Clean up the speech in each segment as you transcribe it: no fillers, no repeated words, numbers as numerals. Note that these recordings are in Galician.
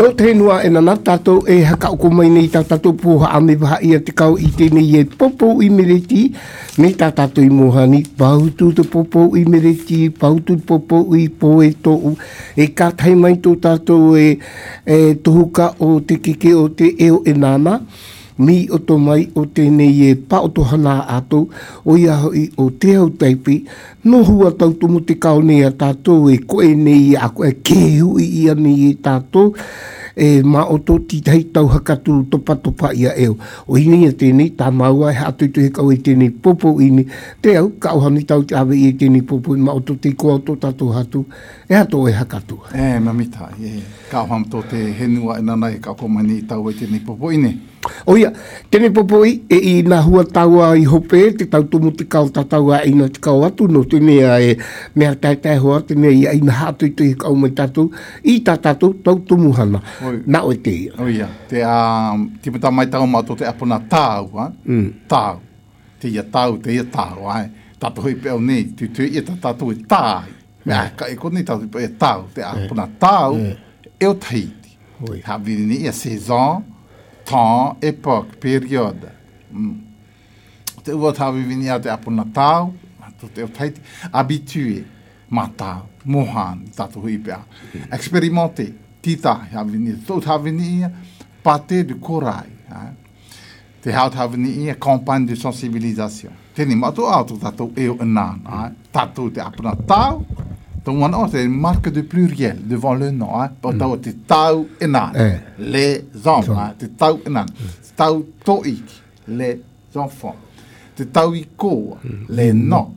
Tau tenua e nana tatou e haka o mai nei tatou poha a me waha ia te kau I tēnei e popo I mereti, nei tatou I mohani, pautu te popo I mereti, pautu te popo I poe tōu, e kātai mai tō tatou e tohuka o te keke o te eo e nana, mi o to mai o tēnei e pa o to hana atou, o ia hoi o te au taipi, no hua tau tumu te kao nei a tātou e koe nei a koe kehu I ia nei e tātou, e ma o to titei tau hakatu topa ia eo. O ini e tēnei, tā maua e hatu I tu he kau e tēnei popo ini, te au, ka ohani tau te awe I e tēnei popo, ma o to te koa o to tātou hatu, e hato e hakatu. Mamita, ka oham to te henua e nanai ka komani I tau e tēnei popo ini. O ia, tēnei popo I nā hua taua I hope, te tau tumu te kau tātaua ina te kau atu, no tēnei e mea tai hoa, tēnei I ina hatu I tu he kau mai tātou, I tā tātou tau tumu hana. Nā o te ia. O ia, te mata mai tau mātou te apuna tāu, tāu. Te ia tāu, te ia tāu, tātou hoi pēo nei, te ia tātou e tāi. Mea, ka e konei tātou pēo e tāu, te apuna tāu, e o tahiti. Haviri ni ia saison, temps, époque, période. Te ua tāwi vini a te apuna tāu, te o tahiti, habitué, matau, mohan, tātou hui pēa. Expérimenté, tita, havini, tō tāwini ia, pâté de corail. Te hau tāwini ia, campagne de sensibilisation. Tēnei mātou auto tātou eo enan, tātou te apuna tāu, donc maintenant c'est une marque de pluriel devant le nom, pour tau te tau enan, les enfants, te tau enan, te tau toiki, les enfants, te tau I koa, les noms,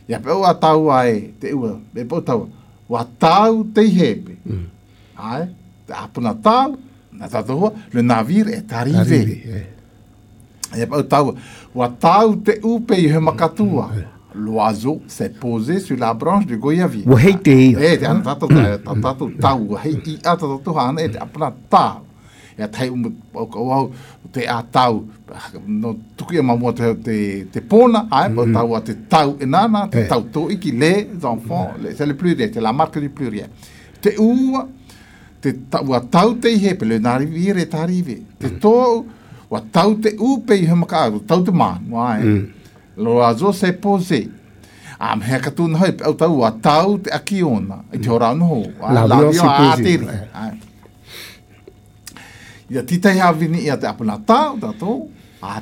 ia pe ua tau ai, te ua, me po tau, wa tau te hepe, te apuna tau, na tatoa, le navire est arrivé, ia pe ua tau, wa tau te upe I he makatua, l'oiseau s'est posé sur la branche du goyavier. Wahei te ia. Te ana tātou tau, wahei I a tātou hana e te apuna tau. Ia tai au te a tau, no tuku ia mamua te pona, po tau a te tau enana, te tau toiki, les enfants, c'est le pluriel, c'est la marque du pluriel. Te ua, te tau a tau te hepe, le navire est arrivé. Te tō, wa tau te upe I he makaru, tau te manu, l'oiseau s'est posé. Mea katuna hoi, au tau a tau te akiona, I te horau noho. L'avion s'est posé. Ia titai havini ia te apuna tau, tātou.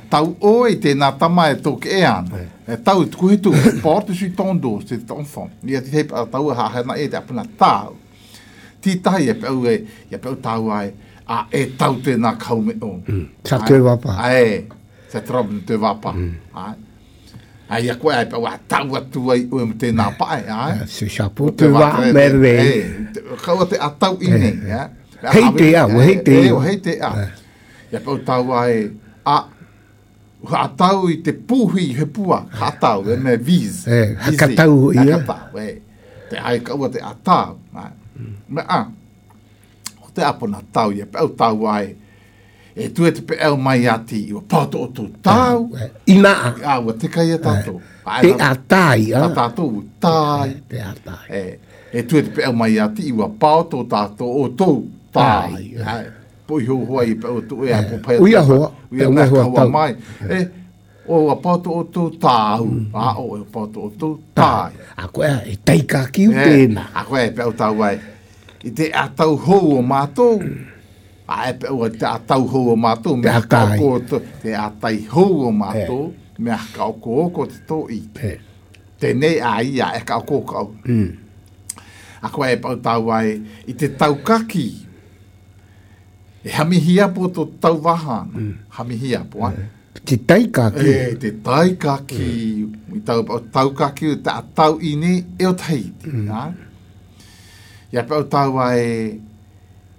Tau oi, tēnā tama e tōke e ana. Tau e tuku hitu, porte sur ton dos, c'est ton enfant. Ia titai tau e hahena e te apuna tau. Titai e peu e, ia peu tau ai, e tau tēnā kaume o. Sa te wapa. Sa trobe te wapa. Ai a koe ai pa wa tau atu ai o me tēnā pae, Se chapeau te wā merve. Kaua te atau ine, Hei te a, hei te a. Hei te a. Ia pau tau ai, atau I te puhi he pua, atau, me viz. Hakatau ia. Hakatau, te ai kaua te atau. Me te apona tau, ia pau tau ai, e tu e te pe au mai ati, I o pato o tō tau. Inaa. Ua te kai a tātou. Te atai. Tātou, tai. Te atai. E tu e te pe au mai ati, I ua pato tātou o tō tai. Poi ho hoa I pe o tō e a popai. Uia hoa. Uia hoa kaua mai. O ua pato o tō tau. O e pato o tō tai. A koe e teika ki u tēnā. A koe e pe au tau ai. I te atau hou o mātou. E pe ua te atau hou o mātou, mea kako te atai hou o mātou, mea kako oko te tō I. Tēnei a ia e kako kau. A koe e pau tau ai, I te tau kaki, e hamihia po tō tau wahana, hamihia po, Te taikaki. Te taikaki, I tau kaki, te atau ine e o Tahiti. Ia pau tau ai,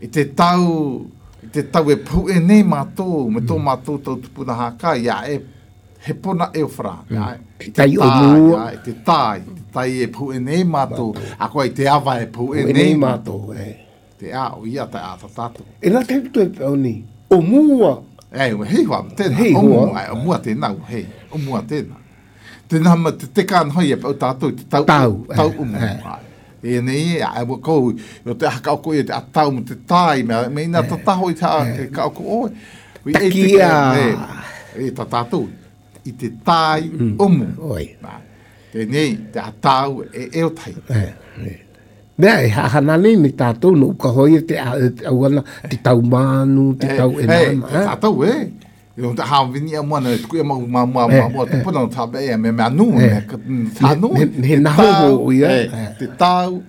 I te tau e pu e nei mātou, me tō mātou tau tupuna haka, ia e he pona e o whra. Tai o mua. Te tai e pu e nei mātou, a koe te awa e pu e nei mātou. Te a, o ia te a tātou. E nā te tu e pēo ni, o mua. Hei hoa, tēnā, o mua tēnā, hei, o mua tēnā. Tēnā ma te kāna hoi e pēo tātou, te tau umu. E nei a ko o te haka ko te atau mo te tai me ina tataho i ta ka ko o. Takia. E tatatu i te tai omu. Oi. Te nei te atau e o tai. Mea e hahanane me tātou no ka hoi te auana te tau manu, te tau e nama. Te tātou Yo te hawini a mwana e tuku e mau te puna o tabe e me anu, me tānu. Me naho ia. Te tau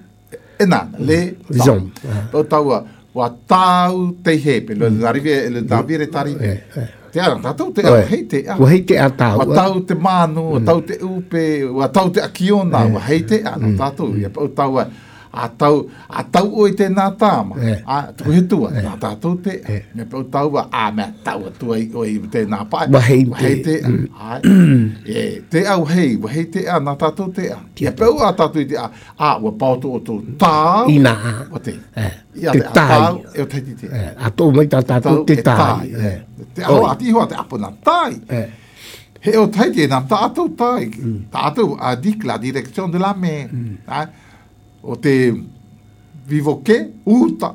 e nana, le Zom. O tau a, wa tau te hepe, le navire tarive. Te ara, tātou te a, hei te a. Wa hei te a tau. Wa tau te manu, wa tau te upe, wa tau te akiona, wa hei te a, tātou. O tau a, a tau o i tēnā tāma. Tuku he tua, nā tātou te. Me pau tau wa, mea tau a tua o i tēnā pai. Wa hei te a. Te au hei, wa hei te a, nā tātou te a. Me pau a tātou i te a, wa pautu o tō tāu. Ina. Wa te. Te tai. E o teiti te. A tō mai tātou te tai. Te au ati hoa te apo nā tai. He o teiti e nā tātou tai. Tātou a dik la direction de la mer. O te vivoke uta.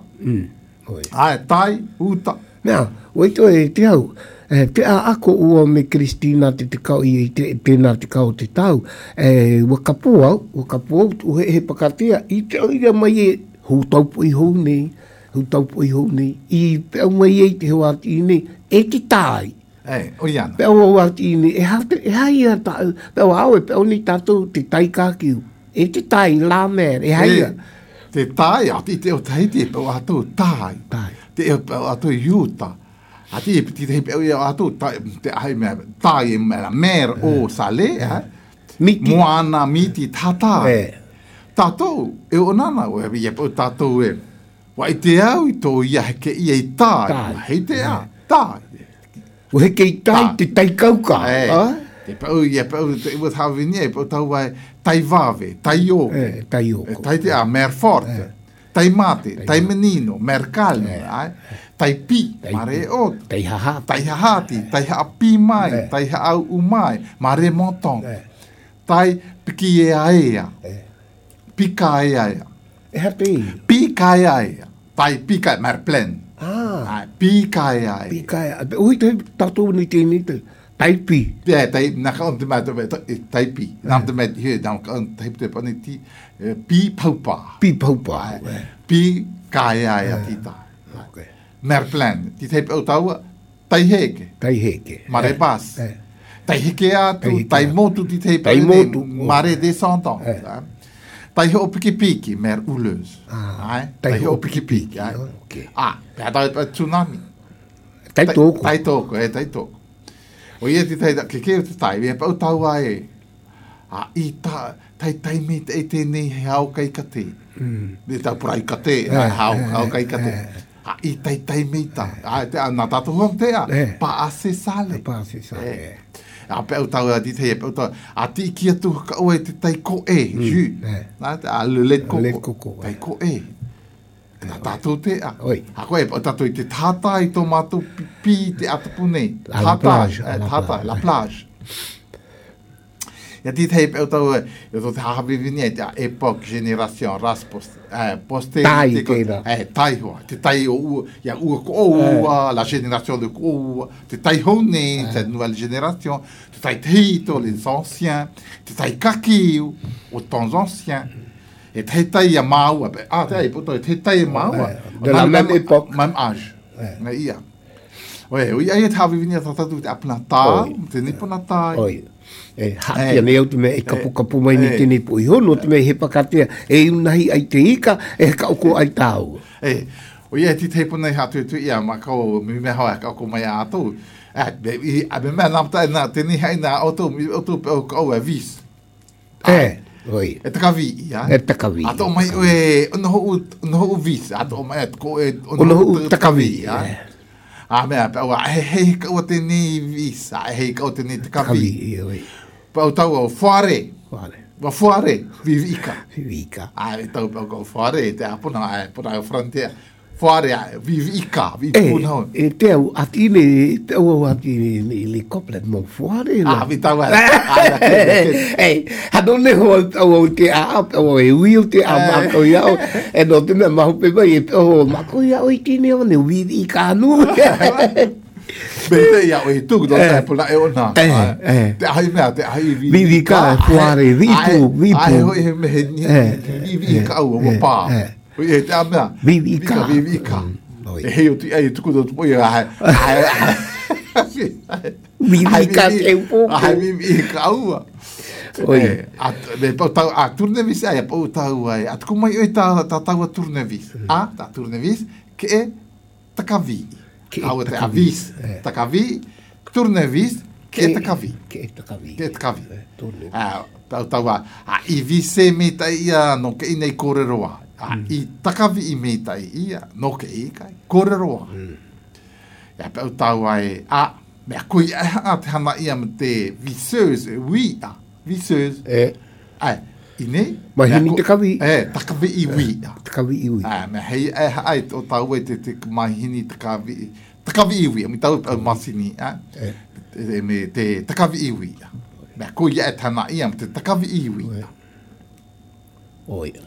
Tai uta. Mea, oito e te au. Te a ako ua me Kristina te kau i tēnā te kau te tau. Wakapo au, tu he pakatea. I te oira mai e hūtaupo i hou nei. I pēo mai e te hoa ati nei. E te tai. O iana. Pēo ati nei. E hai a tau. Pēo au e pēo ni tātou te tai kākiu. E te tai la mer, e haia. Te tai, ati te o taiti e pēo atou tai. Te e pēo atou iuta. Ati e piti te pēo i atou tai, te ahi mea tai e mea mer o sale, Miti. Moana, miti, tatai. Tātou, e o nana, o e pēo tātou e. Wa i te au i tō ia heke i e tai. Hei te a, tai. O heke i tai, te tai kauka. Te pēo i e pēo, te iwa tāwini e pēo tau wai, tai vave, tai oke. Tai oke. Tai te a, mer forte. Tai mate, tai menino, mer calme. Tai pi, mare ot. Tai hahati. Tai hahati, tai haapi mai, tai haau umai, mare motong. Tai piki e aea. Pika e aea. E hape. Pika e aea. Tai pika e mer plen. Pika e aea. Pika e aea. Ui te tatou ni tēni te. Taipi. Tai, naka on te mai taipi. Nam te mai he, nam ka on taipi te pane ti, pi paupa. Pi paupa. Pi kaea e a tita. Mer plan. Ti taipi au taua, tai heke. Tai heke. Mare bas. Tai heke atu, tai motu ti taipi. Tai motu. Mare descendant. Tai ho piki piki, mer uleuse. Tai ho piki piki. Pea tau tsunami. Tai toko. Tai toko, tai toko. O ia te tai, ke o te tai, e pau tau ai. I tai me te e tēnei he hau kai kate. Ne tau purai kate, hau kai kate. I tai me ta. Nā tātou huam te a, pa ase sale. Pa ase sale. A pau tau a di te e pau tau, a ti ki atu ka oe te tai ko e, ju. A le let koko. Tai ko e. Nā tātou te a. A koe, o tātou i te tātai tō mātou pi te atapune. Tātai, la plage. Ia ti tei pēo tau, e tō te hahawiwini e te epoch, generation, ras, poste. Tai keira. Tai hoa. Te tai o ua, ia ua ko ua, la génération de ko ua. Te tai hone, te nouvelle génération. Te tai teito, les anciens. Te tai kakiu, o temps anciens. E te tai a maua. Te tai a maua. De la même époque. Même âge. Nga ia. Oe, ia e tāwi vini a tātatu te apuna tā, te nipuna tā. Oi. Haki ane au te mea e kapu mai ni tēnei po i hono, te mea he pakatea. E unahi ai te ika, e kauko ai tāu. O ia ti te puna i hatu tu ia, ma kau mi mea hoa kauko mai a atu. A me mea namta e nā, tēnei hai nā, otu pēo kau e vis. Oi. E takavi, ia. E takavi. Ato mai, ono ho vis. Ato mai, ono ho takavi. Mea, pēo, hei kau tēnei vis. Hei kau tēnei takavi. Pēo tau au whare. Wa whare, vivika. Vivika. Tau pēo kau whare, te apuna, puna au frontier. Whare ai, vivi ika, vivi puna. Te au atine, te au atine le koplet mo whare. Vi tau ai. Hanone au te a au e wheel te a mako iau. E no te mea mahu pe mai, mako iau i tine o ne vivi ika anu. Bete ia o e tuku do te pula e ona. Te ai mea, te ai vivi ika, whare, vipu. Ai hoi he mehe ni, vivi ika au o pā. E te a mea. Vivi ika. Vivi ika. E hei o ti ai tuku do tupo ia hai. Vivi ika te upo. Ai vivi ika aua. Me pau tau a turnevis ai, pau tau ai. A tuku mai oi ta tau a turnevis. Ta turnevis ke e takavi. Au te avis. Takavi, turnevis ke e takavi. Ke e takavi. Ke e takavi. Pau tau a i vise me ta ia no ke inei kōreroa. I takavi i me tai ia, no ke i kai, kōreroa. Ia pau tau ai, mea kui a te hana ia me te viseuse, viseuse. Ai, i nei. Mahini takavi. Takavi i wia. Takavi i wia. Mea hei ai o tau e te mahini takavi i wia, mi tau pau masini, me te takavi i wia. Mea kui a te hana ia me te takavi i wia. Oia.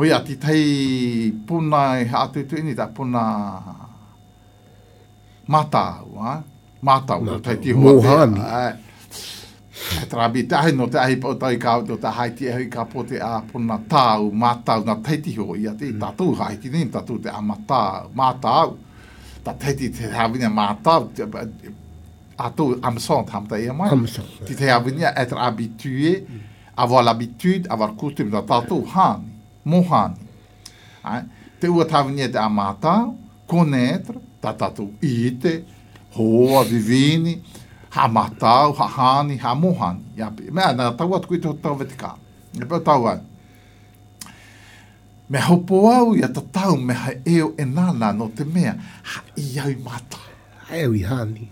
Oia, ti tei puna e atu tuini ta puna matau, matau, tei ti hoa. Mohani. E trabi te ahi no te ahi pau tau i ka auto, ta haiti e hui ka po te a puna tau, matau, na teiti ho, ia te tātou haiti ni, tātou te a matau, ta teiti te hawina matau, atou amson tamta ia mai. Ti te hawina être habitué, avoir l'habitude, avoir coutume, ta tātou hani. Mohani. Te ua tawini te amata, connaître, ta tātou ite, hoa, vivini, ha matau, ha hani, ha mohani. Mea, nā tau atu kui te tau vetika. E pau tau ai. Me hopo au ia ta tau me ha eo e nana no te mea, ha i au mata. Ha eo i hani.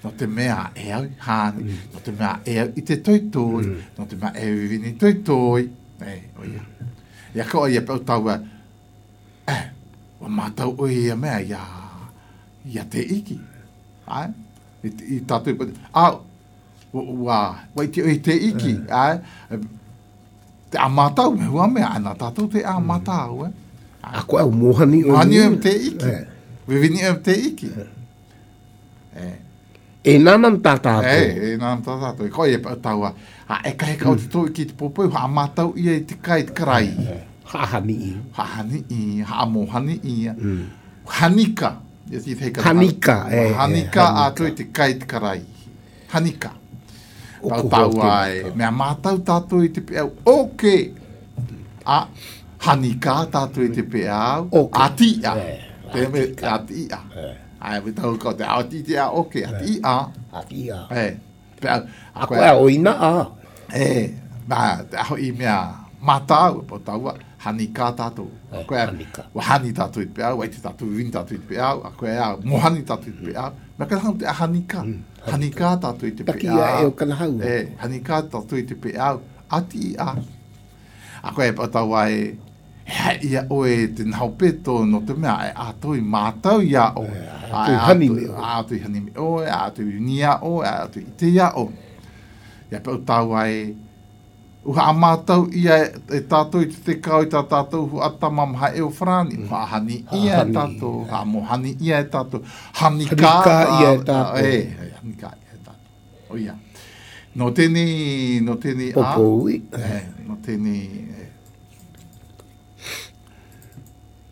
No te mea e au hani, no te mea e au i te toitoi, no te mea e au i vini toitoi. Oia. Ia koa ia pau tau wa mātau o ia mea ia te iki. I tātou wai te oi te iki. Te a mātau me hua mea, ana tātou te a mātau. A koe au mohani o Mohani o te iki. Vivini o te iki. E nanam tā tātou. E nanam tā tātou. E koa ia pau tau e kai kau te tō ki te popoi, ha mātau ia i te kai te karai. Hahani i. Hahani i, haamohani i. Hanika. Hanika. Hanika a toi te kai te karai. Hanika. Tau tau ai. Mea mātau tātou i te peau. Oke. Hanika tātou i te peau. Atia. Te me atia. Ai, we tau kau te atia. Oke, atia. Atia. Peau. A koe a oina a. Mā, te aho i mea mātau, po taua, hanika tātou. Hanika. Wa hani tātou i te peau, wai te tātou win tātou i te peau, a koe a mohani tātou i te peau. Mea ka hau te a hanika. Hanika tātou i te peau. Taki a eo kana hau. Hanika tātou i te peau, ati a. A koe po taua ia oe te nahaupeto no te mea, a toi mātau ia o. A toi hanime o. A toi hanime o, a toi unia o, a toi ite ia o. Ia pau tau ai, uha a mātau ia e tātou i te kau i tā tātou hu atamam ha eo frani. Uha hani ia e tātou, ha mohani ia e tātou, hanika ia e tātou. Hanika ia e tātou. O ia. No tēni a. Popoi. No tēni.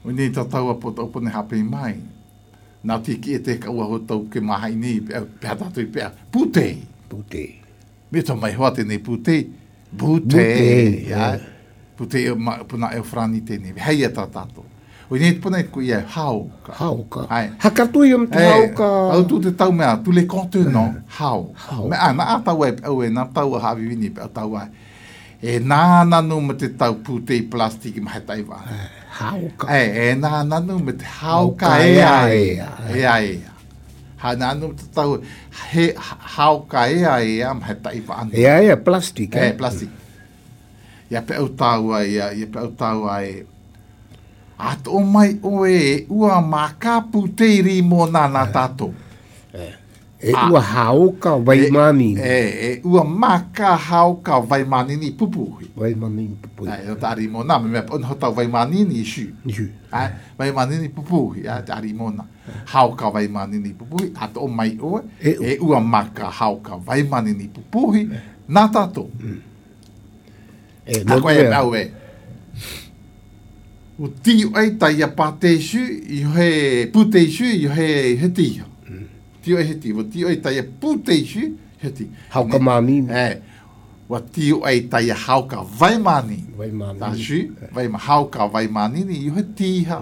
Uni tātou a po taupone hapei mai. Nā tiki e te kaua ho tau ke mahai ni, pēha tātou i pēha. Putei. Putei. Me tō mai hoa tēnei putei. Putei. Putei puna e frani tēnei. Hei e tā tātou. O nei te puna e ko ia hauka. Hauka. Hakatui am te hauka. Au tu te tau mea, tu le contenant, hau. Me ana a tau e au e nā tau a hawi wini pe au tau ai. E nā nanu me te tau putei plastiki mahe taiwa. Hauka. E nā nanu me te hauka e ai. Ha nanu te tau he hauka e ai mahe taiwa anu. E ai plastik. Plastik. Ia pe au tau ai, ia pe au tau ai. Ato o mai oe ua maka puteiri mo nana tato. Ua hauka vai mani. Ua maka hauka vai manini pupuhi. Vai mani pupuhi. O tari mo na, me on hota vai manini isu. Vai manini pupuhi, tari mo na. Hauka vai manini pupuhi, ato o mai oe, ua maka hauka vai manini pupuhi, na tato. Ako e au e. O tiu ai tai a patesu, i he putesu, i he tia. Tio e he tia, o tiu ai tai a putesu, he tia. Hauka mani. Wa tiu ai tai a hauka vai mani. Vai mani. Tasu, vai ma hauka vai mani ni i he tia.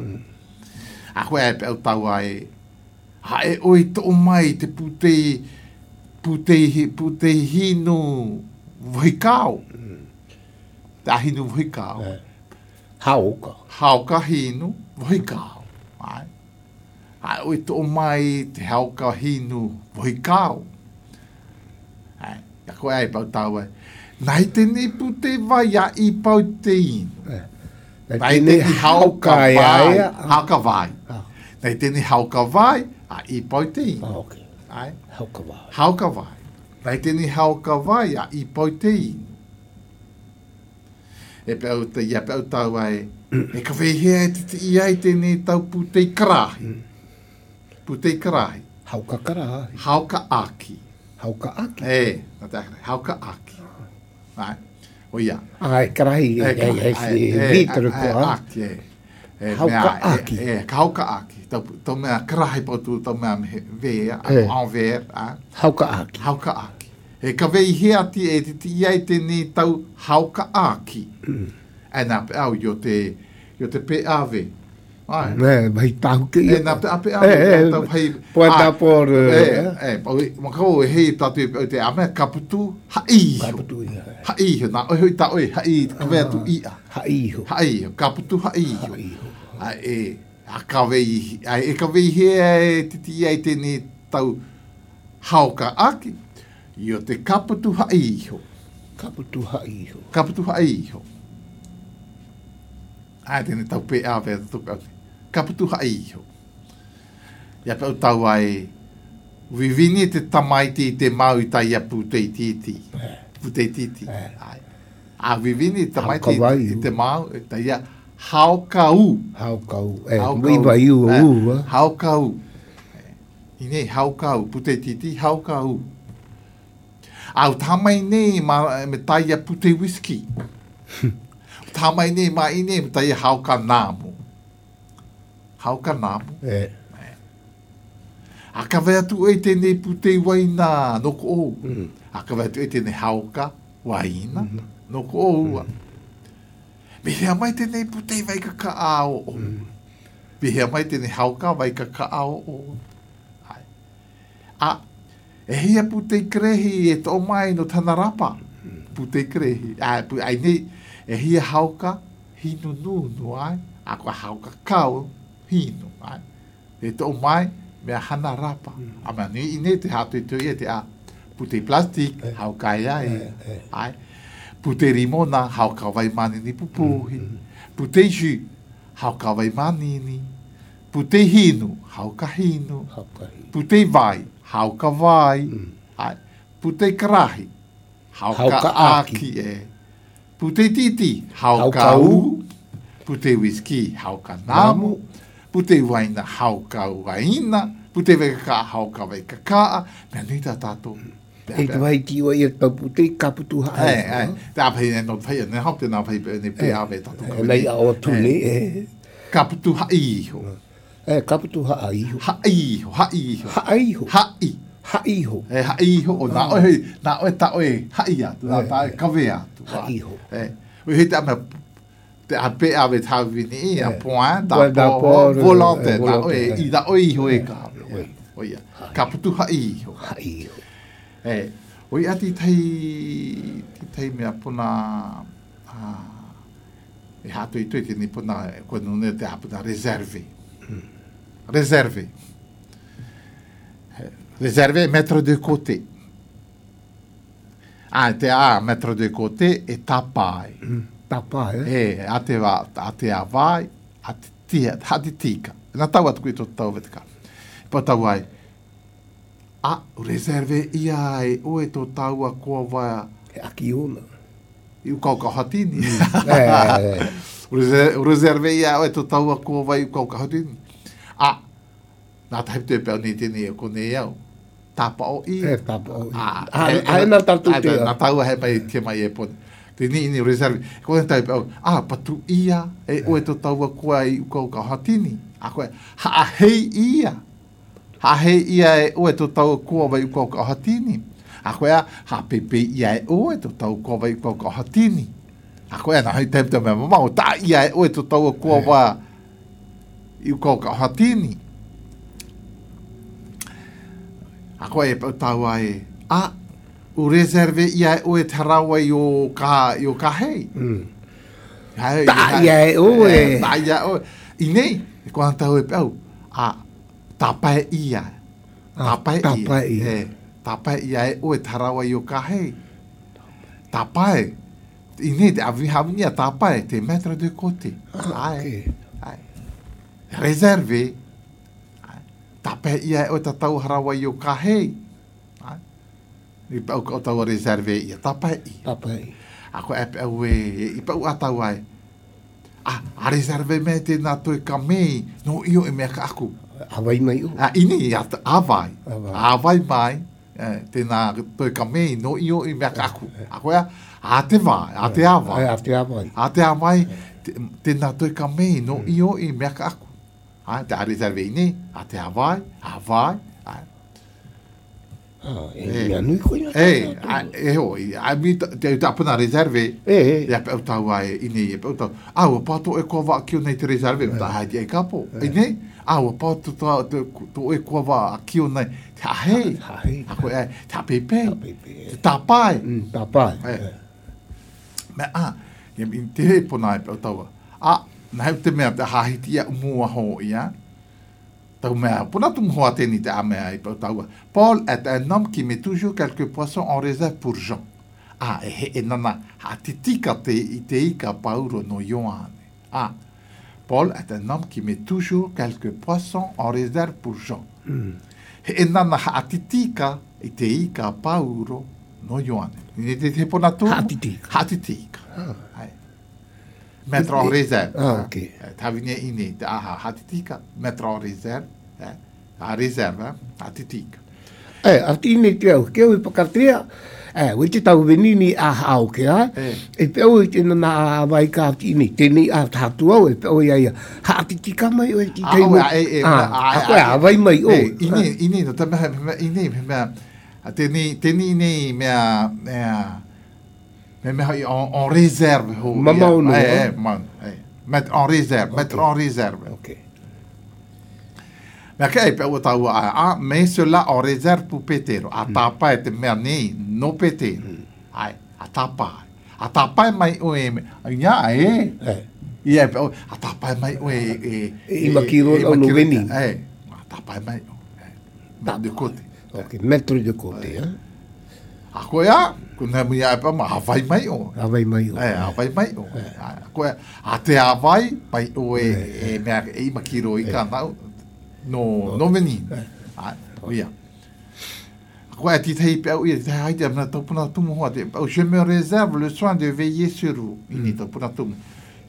Ako e pe au tau ai, ha e oi to mai te putei hinu voikau. Ta hinu voikau. Hauka. Hauka hinu voikau. Ai oi to mai te hauka hinu voikau. Ai, ya ko ai pau tau ai. Nai tene pute vai a I pau te inu. Nai tene hauka vai. Hauka vai. Nai tene hauka vai a I pau te inu. Ai. Hauka vai. Hauka vai. Nai tene hauka vai a I pau te inu. E pe au te ia pe au tau ai. E ka wehea e te I ai tene tau putei karahi. Putei karahi. Hauka karahi. Hauka aki. Hauka aki. Na te akare. Hauka aki. Ai. O ia. Ai, karahi. Vitro koa. Aki, Hauka aki. Ka hauka aki. Tau mea karahi potu, tau mea vea, envers. Hauka aki. Hauka aki. E ka wehea ti e te iai tene tau hauka aki. E nā pe au yo te pe ave. Vai tahu ke ia. E nā pe ave. Tau pai. Poeta por. Makau e hei tatu e te ame kaputu haiho. Kaputu ia. Haiho. Nā oi hoi ta oi. Hai kawea tu ia. Haiho. Haiho. Kaputu haiho. A kawei. E kawei hea e titi ai tene tau hauka aki. Io te kaputu haiho. Kaputu haiho. Kaputu haiho. Ai tene tau pe ave tuku au. Kaputu haiho. Ia pe au tau ai. Vivini te tamaiti te mau i tai a putei titi. Putei titi. A vivini te tamaiti te mau i tai a haukau. Haukau. Wiwa iu u. Haukau. Ine haukau. Putei titi haukau. Au tamai nei me tai a putei whisky. Tamai nei ma ine me tai a hauka namu. Hauka namu. A ka wea tu e tene putei waina noko ou. A ka wea tu e tene hauka waina noko ou. Me hea mai tene putei vai ka ka ao o. Me hea mai tene hauka vai ka ka ao o. A e hea putei krehi e to mai no tanarapa. Putei krehi. Ai nei, e hea hauka hinu nunu ai. A kua hauka kau hinu ai. E to mai mea hana rapa. A mea ni ine te hatu i tui e te a. Putei plastik, hauka ai. Ai. Putei rimona, hauka vai mani ni pupuhi. Putei ju, hauka vai mani ni. Putei hinu, hauka hinu. Putei vai, hauka vai. Putei karahi, hauka aki e. Putei titi, hauka u. Putei whisky, hauka namu. Putei waina, hauka waina. Putei veka hauka vai kakaa. Mea nita tato. E te vai ki wa ia tau putei kaputu hae. Tā pai e no pai ne hau te nā pai ne pe ave tato. Nei a o tune e. Kaputu haiho. Kaputu haiho. Haiho, haiho. Haiho. Hai. Haiho. Haiho. O nā oe ta oe hai atu. Nā tā kawe atu. Haiho. Ui hei te ame te a pe ave tā vini a point da po volante. Nā oe i da oe iho e ka. Oia. Kaputu haiho. Haiho. Oi ati tei mea puna e hatu i tui tini puna kua nune te hapuna reserve. Reserve. Reserve metro de côté. Te a metro de côté e tapai. Tapai, a te vai, tia, hati tika. Nā tau atu kui tō tau vetika. Pa tau ai, reserve ia e oe tō tau a kua wai. He aki ona. I ukau ka hatini. Reserve ia oe tō tau a kua wai ukau ka hatini. Nā tahi te pēo ni tēne e kone iau. Tāpa o i. He tāpa o i. Ai nā tatu te. Nā tau hai mai te mai e pone. Te ni reserve. Kone tahi pēo, patu ia e oe tō tau a kua i ukau ka hatini. A koe, hei ia. Hei ia e oe tō tau a kua wai ukau ka hatini. A koe pepe ia e oe tō tau kua wai ukau ka hatini. A koe nā hei te mea mamau. Tā ia e oe tō tau a kua wai ukau ka hatini. A koe e pau tau ai, u reserve ia e oe te rawa i o ka hei. Tā ia e oe. Tā ia e oe. I nei, e kua tau e pau, tāpai ia. Tāpai ia. Tāpai ia e oe te rawa i o ka hei. Tāpai. I nei, te avihawinia tāpai, te metro de kote. Reserve. Tāpai ia e o te tau harawa i o ka hei. I pau o tau reserve ia. Tāpai ia. Tāpai. A koe e pau i pau atau ai. A reserve me te nā toi ka mei, no io e mea ka aku. Awai mai o. Ini awai. Awai mai, te nā toi ka mei, no io e mea ka aku. A koe a te vai, a te awai. A te awai. A te awai, te nā toi ka mei, no io e mea ka aku. Te a reserve ini, a te awai, E anui koe nga. E hoi, te apuna reserve, e a pēu tau ai, ini e pēu tau, o pāto e kua wā kio nei te reserve, ta haiti e kapo, ini, o pāto to e kua wā kio nei, te ahei, a koe e, te apepe, te tāpai. Tāpai. Me te he pona e pēu tau, na heu te mea te hahiti ia umua ho ia, tau mea, puna tu mhoa tēni te amea i pau taua. Paul est un homme qui met toujours quelques poissons en réserve pour Jean. E nana, titika te i te ika pauro no Ioane. Paul est un homme qui met toujours quelques poissons en réserve pour Jean. E nana, titika i te ika pauro no Ioane. Te puna tu? Hatitika. Mettre en réserve. Ok. Tavine ini, hatitika, mettre en réserve. A réserve, hatitika. A tine te au, keo i pakatea, ui te tau venini a hao ke a, e peo i tena na awai ka tine, tēnei a tātu au, e peo i aia, hatitika mai o e ti teimo. A koe awai mai o. Ini, no te mea, tēnei nei mea, en réserve. Mamau no. Mettre en réserve. Ok. Mais kei pe o tau mais cela en réserve pour Petero. A tapa e te mea nei, no Petero. A tapa mai o e, ia ia pe o, a tapa mai o e I makiro o no veni. A tapa mai o. Da de côté. Ok, mettre de côté, A koea, kuna mea e pa ma hawai mai o. Awai mai o. Hawai mai o. Koea, a te hawai, pai o e mea e makiro I ka nau, no meni. Oia. Koea, ti tei pe au ia, te haide amna tau puna tumu hoa, je me réserve le soin de veiller sur vous. Ini tau puna tumu.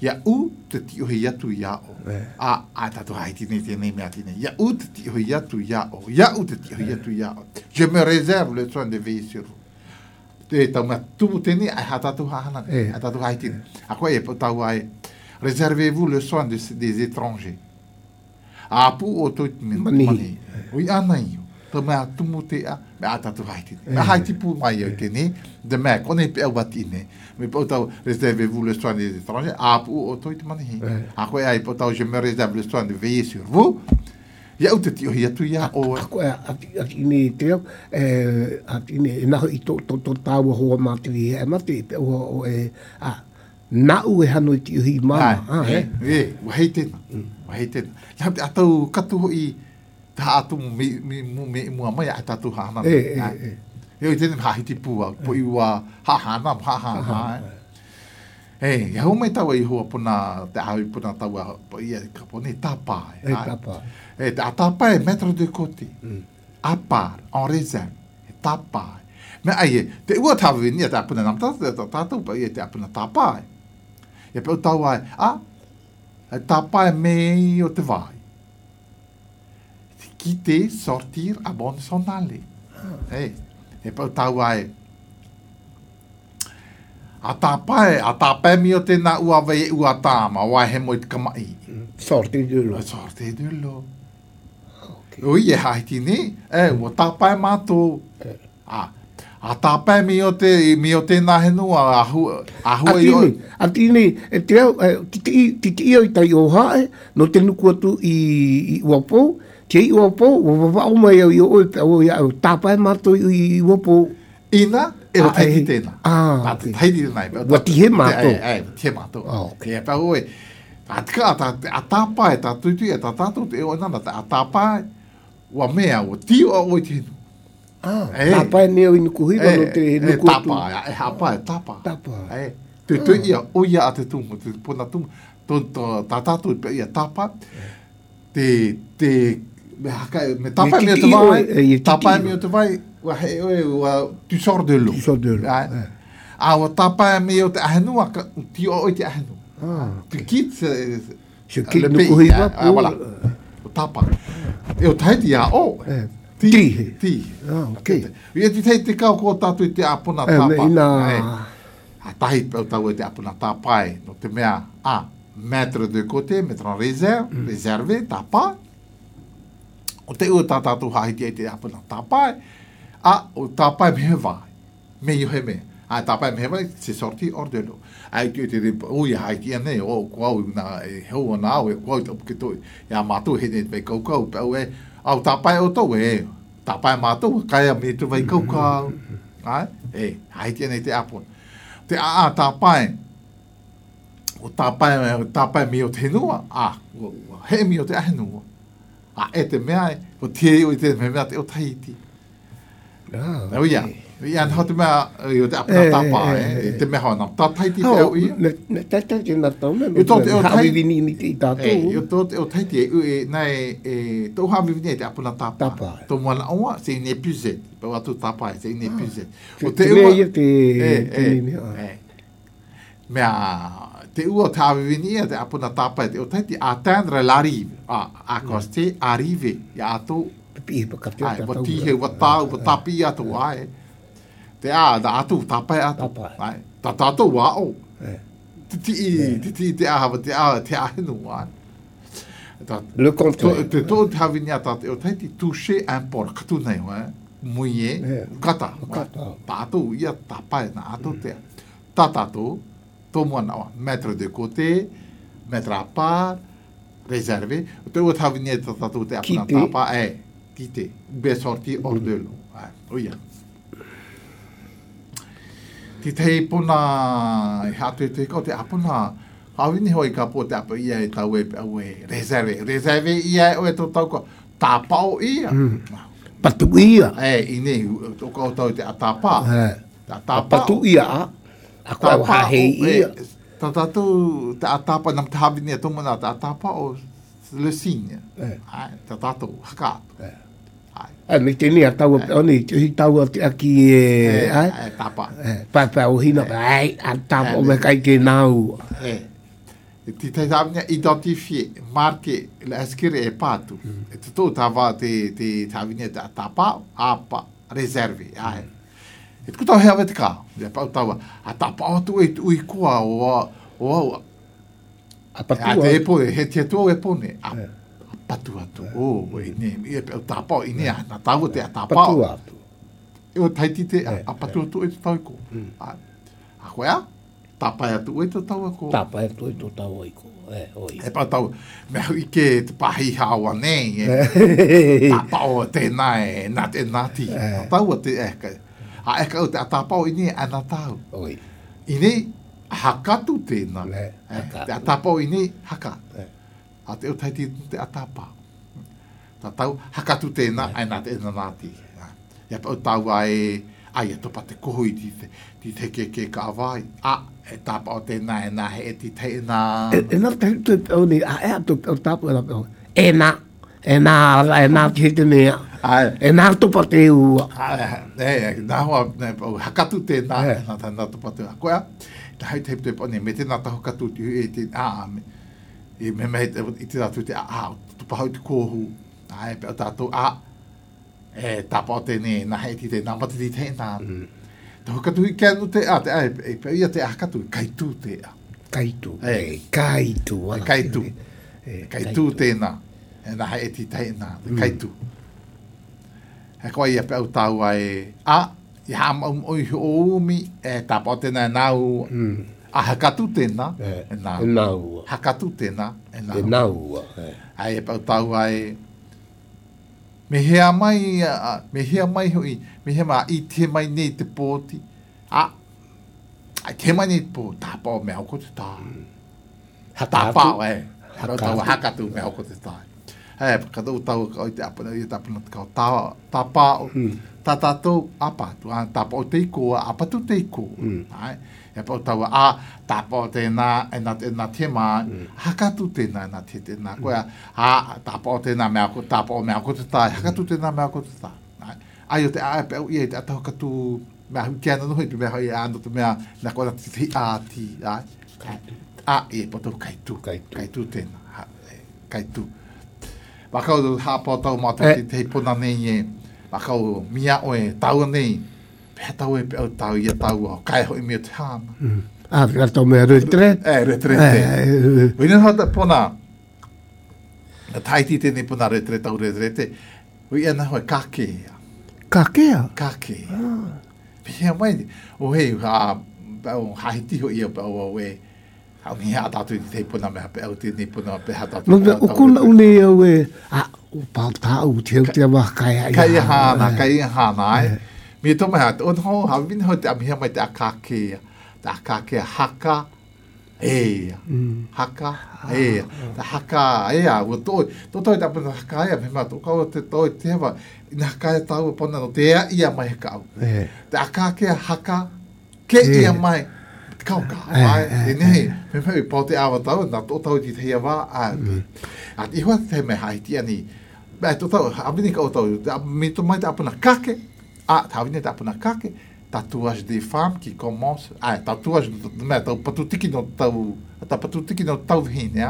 Ia u te tiohe iatu ia o. Tatu haiti nei tēnei mea tine. Ia u te tiohe iatu ia o. Ia u te tiohe iatu ia o. Je me réserve le soin de veiller sur vous. Te tau mea tumu tēnei, ai hatatu hahana. Ai tatu haiti nei. A koe e tau ai, réservez-vous le soin des étrangers. A pu o toi mani. Ui ana iyo. Tau mea tumu te a, mea tatu haiti nei. Mea haiti pu mai au tēnei, de mea kone pe au wati nei. Me potau réservez-vous le soin des étrangers. A pu o toi mani. A koe ai potau, je me réserve le soin de veiller sur vous. Ia u te tio hi atu ia o... Ako ati ne te au, ati ne naho I to tāua hoa mātiri e mate, o nau e hano I tio hi māma. Wahei tēnā. Wahei tēnā. Ia te atau katu hoi ta atu me mua mai a tatu hana. Eo I tēnā hahiti pua, po I ua hahana. ia hau mai taua i hua puna te awi puna taua po ia ka pone tapa. Tapa. Te tapa e metro de côté. À part, en réserve. Tapa. Me ai te ua tawa vini te apuna nam tātou pa ia te apuna tapa. E pe o taua tapa e mei o te vai. Quitter, sortir, abonne, s'en aller. E pe o taua a tapa mi o te na ua vei ua tāma, wa he mo i te kamai. Sorte de lo. Sorte de lo. Ui e haiti ni, ua tapa e mātou. A tapa mi o te na henua, a hua i o. A tine, te au, titi o i tai o hae, no te nuku atu i uapou, te i uapou, o mai au i o o tapa e mātou i uapou. Ina, e o taiti tēnā. Taiti tēnā. Wati he mātou. He mātou. E pa oe, a tāpā e tā tuitui, e tā tātou te o nana, a tāpā ua mea o tio a oi tēnu. Tāpā e neo i nuku hiwa no te nuku atu. Tāpā, e hapa e tāpā. Tāpā. Te tui ia, o ia a te tumu, te puna tumu, tā tātou i pe ia tāpā, me tāpā e mea te vai, tāpā e mea te vai, ua he oe, ua tu sors de l'eau. Tu sors de l'eau. Ua tāpā e mea o te ahenua, tio oi te ahenua. Tu quittes le pays. Voilà. O tāpā. E o taiti a o. Ti. Ok. Ia ti te kau ko tātou i te apuna tāpā. A tahi pau tau e te apuna tāpā no te mea mettre de côté, mettre en réserve, tāpā. O te ua tātou hahiti e te apuna tāpā. O tāpā me he vai. Me yo he me. Tāpā me he vai, se sorti hors de l'eau. Ai te te ui haiti ane, o kuau na heu ana au, e kuau te upuketoi. Ia mātou he ne te kaukau, pe au au tāpā o tau tāpā mātou, kai a me tu vai kaukau. Haiti ane te apuna. Te tāpā o tāpā mi o te henua, he mi o te ahenua. E te mea o te o te mea te o Tahiti. Ia anha te mea i o te apuna tāpā, te mea hoa nam. Tā Tahiti te au ia. Ne tata te nā tau me, hawi vini ni te i tātou. I o Tahiti tau hawi vini te apuna tāpā. Tō moana aua, se ine puzet. Pau atu tāpā, se ine puzet. Te mea ia te mea. Mea, te ua te hawi vini te apuna tāpā, te o Tahiti, atteindre l'arrive. Accoster, arriver. Ia atou. Wa tihe, wa tāu, wa tapi atu ai. Te da atu, tapai atu. Ta tātou wa o. Te ahawa, te ahenu ai. Le contraire. Te tō te hawi ni ata, o Tahiti, toucher un port, katu nei hoa, muie, kata. Tātou, ia tapai na atou te. Tā tātou, tō moana wa, mettre de côté, mettre à part, réservé. Te ua tawi ni ta tātou te apuna tāpā, kite, be sorti hors de l'eau. Oia. Ti tei puna, hatu e te kau te apuna, hawini hoi ka po te apa ia e tau e réservé. Réservé ia e tō tau ko, tāpā o ia. Patu ia. Ine, o kau tau te a tāpā. Patu ia. A kua hahei ia. Tā tātou te a tāpā, nam te hawini e tōmuna te a tāpā o le signe. Tā tātou, hakaatu. Me tēne a tau a ni, te hi tau a te aki tāpā. Papa o hina, a tāpā o me kai ke nāu. Ti te tāwinga identifier, marke, la eskere e pātu. E te tō tāwā te tāwinga te a tāpā, apa, reserve. E te kutau hea te kā. E pau taua, a tāpā atu e ui kua o au. A patu te epone, he te tō epone. Patu atu. Ne, ia pe tāpā, ine a, nā tāua te a tāpā. Patu atu. E o taiti te a patu atu e te tau ko. A koe a, tāpā atu e te tau ko. Tāpā atu e te tau ko. E pa tau, me hui ke te pahi hawa nei, tāpā o tēnā nā te nāti. Tāua te eka. A eka o te a tāpā o ine a nā tau. Ine, hakatu tēnā. Te a tāpā o ine, haka. A te o taiti te atapa. Tā tau, hakatu tēnā, ai nā te ena nāti. Ia pa o tau ai, ai to pa te koho I ti te ke ka vai e tapa o tēnā e nā he ti te nā nā te o ni a o tapa e nā ki te mea e nā topa te ua nā hoa hakatu tēnā nā topa te ua koea ta hai te te pone me te nā taho katu ti e te I me I te ratu te tupa hau te kohu pe o tātou e tapa o tēne nā he ti te nā mati ti te nā Tahu katu I kia nu te pe ia te katu kaitu te Kaitu. Kaitu tēnā. E nā hei ti tei nā, kaitu. He koa ia pe au tau ai, I hama oi umi, e tapa o tēnā e nāu. Hakatu tēnā, e nāu. Hakatu tēnā, e nāu. Ai e pe au tau ai, me hea mai hui, me hea mai I te mai nei te pōti. Ai te mai nei pō, tāpā o mea ko te tā. Tāpā o haro tau hakatu mea ko te tā. Kadau tau o te apana, I te apana te kau tāpā o, tā tātou apatu, tāpā o te iko, apatu te iko. E pau tau tāpā o tēnā, e nā te mai, hakatu tēnā, e nā te tēnā. Koea, tāpā o tēnā mea ko, tāpā o mea ko te tā, hakatu tēnā mea ko te tā. Ai o te pe au ia, te ataho katu, mea hui kia nanohi, pe mea hoi ando te mea, nā kua te te āti, e poto kaitu tēnā, kaitu. Wakau tu hāpau tau mātou te hei pona nei e, wakau mia oe, tau nei, pēr tau e pe au tau ia tau au, kai hoi mea te hāna. Kato mea retret? Retrete. Wina hata pona, taiti tēnei pona retrete au retrete, ui ana hoi kakea. Kakea? Kakea. Pēr mai, o hei, hahiti hoi ia pa au e, au ni hea tātou I te puna mea pe au tēnei puna pe hea tātou. Nō, o kona une au e, o pāu tāu te au te awa kai hāna. Kai hāna, Mi tō mai hata, on hau, hau vina hau te amihia mai te akākea. Te akākea haka, haka, te haka, ua tōi. Tō tōi te apuna haka me mā tō kau te tōi te hewa, ina haka tāu pona no te ia mai haka au. Te akākea haka, ke ia mai, kau mai, e nehi, me mai pō te awa tau, nā tō tau ti te hea wā, at I hoa te me haiti ani, tō tau, amini ka o tau, me tō mai te apuna kake, tāwine te apuna kake, tatouage des femmes qui commence, tatouage, me tau patutiki no tau, ta patutiki no tau hine,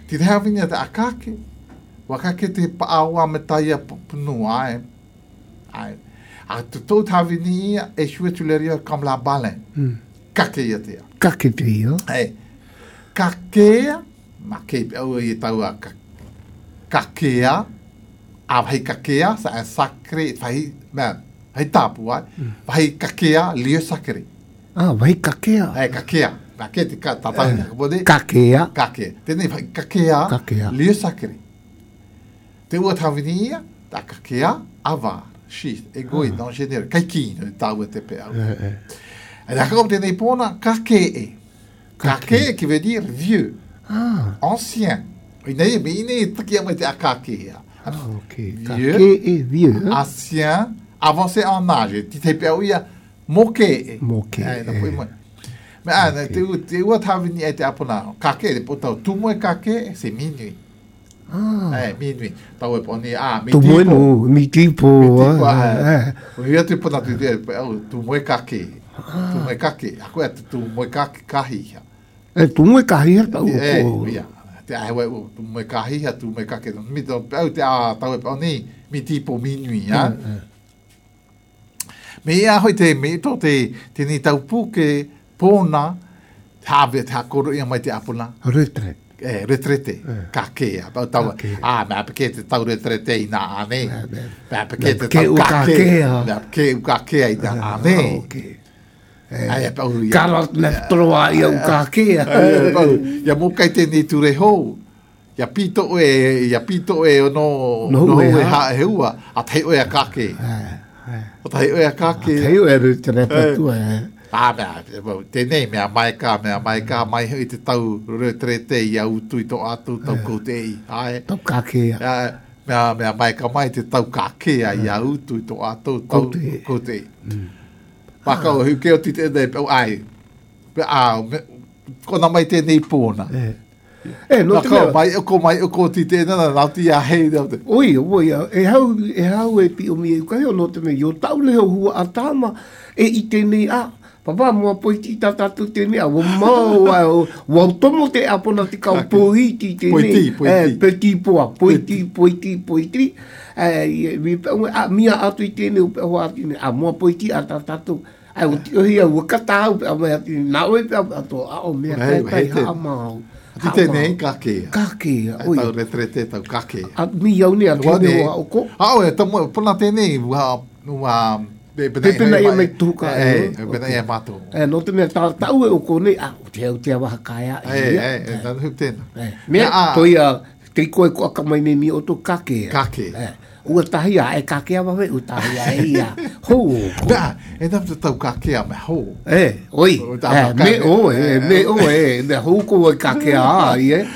ti te hawine te akake, wakake te paawa me taia punua, a te tau tāwine ia, e shue tuleria comme la baleine. Kakea tea. Kakea. Kakea, ma kei pe au I tau a kakea, a hei kakea, sa e sacre, hei tāpu ai, hei kakea, lieu sacre. Vai kakea. Kakea. Ma kei te tātau kapode. Kakea. Kakea. Tēnei hei kakea, lieu sacre. Te ua tāwini ia, ta kakea, avar, she, e goi, non genere, kai kino, tau e te pe au. Et d'accord, tenez pona kakee. Kakee qui veut dire vieux, ancien. Il est taki mai te kakee. Vieux, vieux. Ancien, avancé en âge. Tu t'es pas ouïa moqué. Moqué. Mais te ua tavini e te apona kakee, potau tu moi kakee, c'est minuit. Minuit. Tau e poni tu moi no, mi tipo. Ia te pona tu moi kakee. Tu moi kake, a koe tu moi kake kahi. Tu moi kahi tau. Ia. Te ahewa tu moi kahi, tu moi kake. Mi tau te tau e poni, mi tipo minuit, Me ia hoi te me to te ni tau puke pona, hawe te hakoro ia mai te apuna. Retrete. Retrete, kakea. Tau, mea peke te tau retrete I nā ane. Mea peke te tau kakea. Mea peke u kakea I nā ane. Karot na troa I au kakea. Ia mo kai tēnei ture hou. Ia pito e no e hae heua. A tei oe a kake. A tei oe a kake. A tei oe a retrete tua. Tēnei mea mai ka mai I te tau retrete I au tui to atu tau koutei. Tau kakea. mea mai ka mai te tau ka kea i a utu i tō atou tau kote. Paka o hiu keo ti te nei pe ai. Pe kona mai tēnei pōna. No te mea. Mai o ko ti tēnei nau ti a hei. Oi, e hau e pi o mi e ukai o no te mea. Yo tau leo hua a tāma i tēnei a. Papa mua poiti tatatu tēnei a. Wau tomo te apona te kau poiti tēnei. Poiti poa. Poiti. Mia atu i tēnei upe hoa tēnei. Mua poiti a tatatu. O ti ohi a wakata au pe a mea tēnei. Nā oi pe a to a o mea kai haa mau. Ti tēnei kakea. Kakea, oi. Tau retrete tau kakea. Mi au ni a tēnei o a oko. Au e, pona tēnei, Pepena ia mai tuka. Pepena ia mato. No te mea tau e oko nei, o te awaha kaya. Nanu hiu tēnā. Mea, toi a, te koe ko akamaine ni o tō kakea. Kakea. Ua tahia e kakea wawe, ua tahia e ia. Hou. Nā, e nam te tau kakea me hou. Oi. Me oe, me hou ko e kakea a, ie.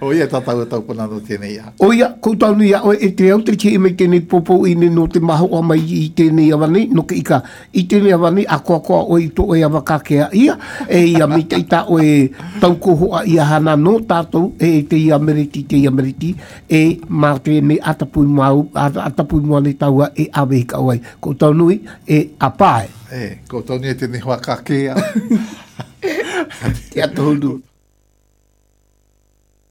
Oia tatau tau panano tēnei a. Oia, koutou ni a, e te au te ki e mei tēnei popo i ne no te maho a mai i tēnei awani, no ke ika, i tēnei awani, a koa o i to e awa kakea ia, e ia mi te ita o e tau kohoa i a hana no tātou, e te i ameriti, e mā tēnei atapui mua ne taua e awe hika oai. Koutou nui, e apae. Koutou ni e tēnei hoa kakea. Te atohundu.